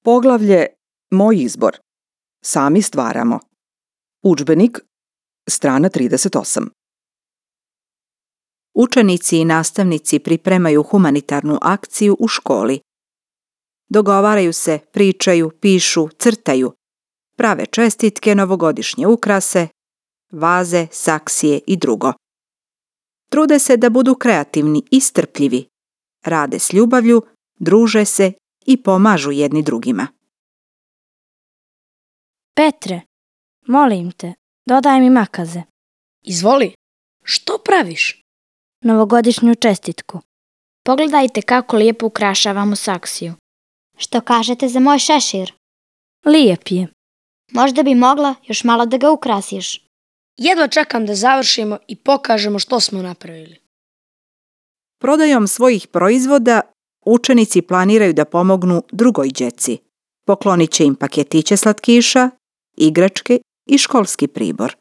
Poglavlje Moj izbor. Sami stvaramo. Udžbenik, strana 38. Učenici i nastavnici pripremaju humanitarnu akciju u školi. Dogovaraju se, pričaju, pišu, crtaju. Prave čestitke, novogodišnje ukrase, vaze, saksije i drugo. Trude se da budu kreativni i strpljivi. Rade s ljubavlju, druže se i pomažu jedni drugima. Petre, molim te, dodaj mi makaze. Izvoli, što praviš? Novogodišnju čestitku. Pogledajte kako lijepo ukrašavamo saksiju. Što kažete za moj šešir? Lijep je. Možda bi mogla još malo da ga ukrasiš. Jedva čekam da završimo i pokažemo što smo napravili. Prodajom svojih proizvoda učenici planiraju da pomognu drugoj đeci. Poklonit će im paketiće slatkiša, igračke i školski pribor.